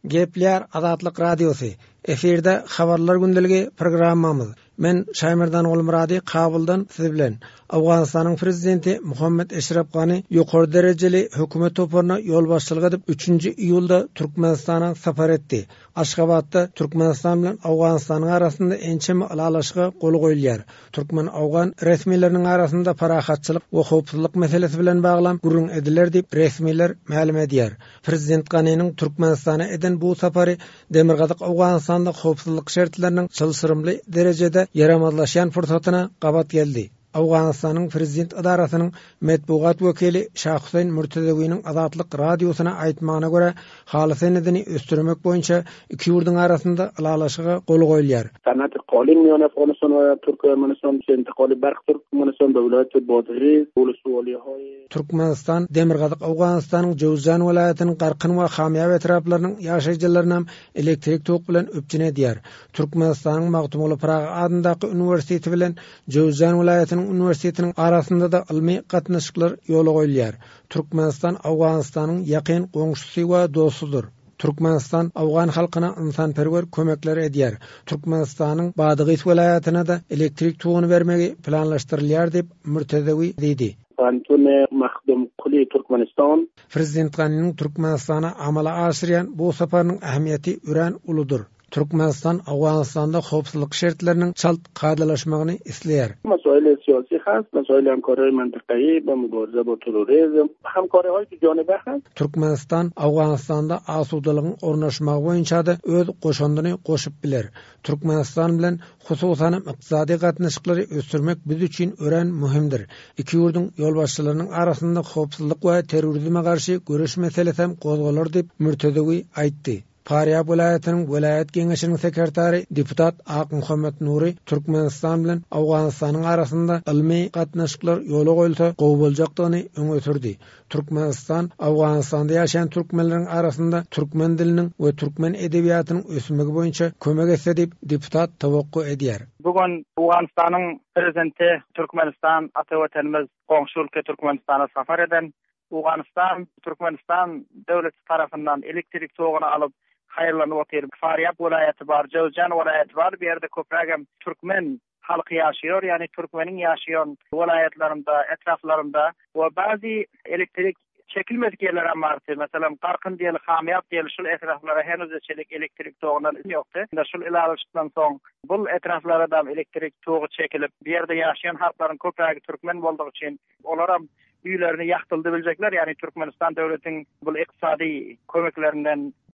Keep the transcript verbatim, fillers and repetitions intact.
Gepleýär Azatlyk Radiosy. Efirde Habarlar gündeligi programmamyz. Men Şaýmerdan Gulmyrady Kabuldan siz bilen. Owganystanyň prezidenti Muhammed Eşref Gani ýokary derejeli hökümet toparyna ýolbaşçylyk edip üçünji iýulda Türkmenistana sapar etdi. Aşgabatda Türkmenistan bilen Owganystanyň arasynda ençeme ylalaşyga gol goýulýar. Türkmen-Owgan resmileriniň arasynda parahatçylyk we howpsuzlyk meselesi bilen baglan gürrüň ediler diýip resmiler mälim edýär. Prezident Ganiniň Türkmenistana eden bu sapary Demirgazyk Owganystanda howpsuzlyk şertleriniň çylşyrymly derejede ýaramazlaşýan pursatyna gabat geldi. Owganystanyň prezident edarasynyň metbugat wekili Şah Hüseýin Mürtezewiniň Azatlyk radiosyna aýtmagyna görä, haly senedini ösdürmek boýunça iki ýurduň arasynda ylalaşyga gol goýulýar. Sanat قالین میان افغانستان و Türkmenistan انتقال برق Türkmenistan به ولایت بادغیس ولسوالی‌های Türkmenistan Demirgazyk Owganystanyň Jowzjan welaýatynyň Garkyn we Hamýab etraplarynyň ýaşaýjylaryny elektrik tok bilen üpjün edýär. Türkmenistanyň Magtymguly Pyragy adyndaky uniwersiteti bilen Jowzjan welaýatynyň uniwersitetiniň arasynda da ylmy gatnaşyklar ýola goýulýar. Türkmenistan Owganystanyň ýakyn goňşusy we dostudyr. Türkmenistan Owgan halkyna ynsanperwer kömekler edýär. Türkmenistanyň Badygys welaýatyna da elektrik toguny bermegi planlaşdyrylýar diýip Mürtezewi diýdi. Pantun Mahdum Kuli Türkmenistan. Prezident Ganiniň Türkmenistana amala aşyrýan bu saparynyň ähmiýeti örän uludyr. Türkmenistan Owganystanda howpsuzlyk şertleriniň çalt kadalaşmagyny isleýär. مسائل سیاسی هست، مسائل همکاری منطقه‌ای با مبارزه با تروریسم، همکاری‌های دو جانبه هست. Türkmenistan Owganystanda asudalygyň ornaşmagy boýunça da öz goşundyny goşup biler. Türkmenistan bilen hususan ykdysady gatnaşyklary ösdürmek biz üçin örän möhümdir. Iki ýurduň ýolbaşçylarynyň arasynda howpsuzlyk we terrorizme garşy göreş meselesi hem gozgalar diýip Mürtezewi aýtdy. Farýab welaýatynyň welaýat geňeşiniň sekretary deputat Ak Muhammed Nuri Türkmenistan bilen Owganystanyň arasynda ylmy gatnaşyklar ýola goýulsa gowy boljakdygyny öňe sürdi. Türkmenistan Owganystanda ýaşaýan türkmenleriň arasynda türkmen diliniň we türkmen edebiýatynyň ösmegi boýunça kömek etse diýip deputat towakgu edýär. Bugün Owganystanyň prezidenti Türkmenistan ata watanymyz goňşy ülke Türkmenistana safar eden Owganystan Türkmenistan döwleti tarapyndan elektrik toguny alyp haýyrlanyp otyr. Farýab welaýaty bar, Jowzjan welaýaty bar. Bu ýerde köprägem türkmen halky ýaşaýar, ýagny türkmeniň ýaşaýan welaýatlarynda, etraplarynda we bäzi elektrik çekilmedik ýerler hem bardy. Meselem, Garkyn diýeli, Hamýab diýeli şul etraplara henüz çelik elektrik togundan ýokdy. Şul ilalaşykdan soň bul etraplara da elektrik togy çekilip, bu ýerde ýaşaýan halklaryň köprägi türkmen boldugy üçin olaram üýlerini ýakdyldy biljekler, ýagny Türkmenistan döwletiň bul ykdysady kömeklerinden.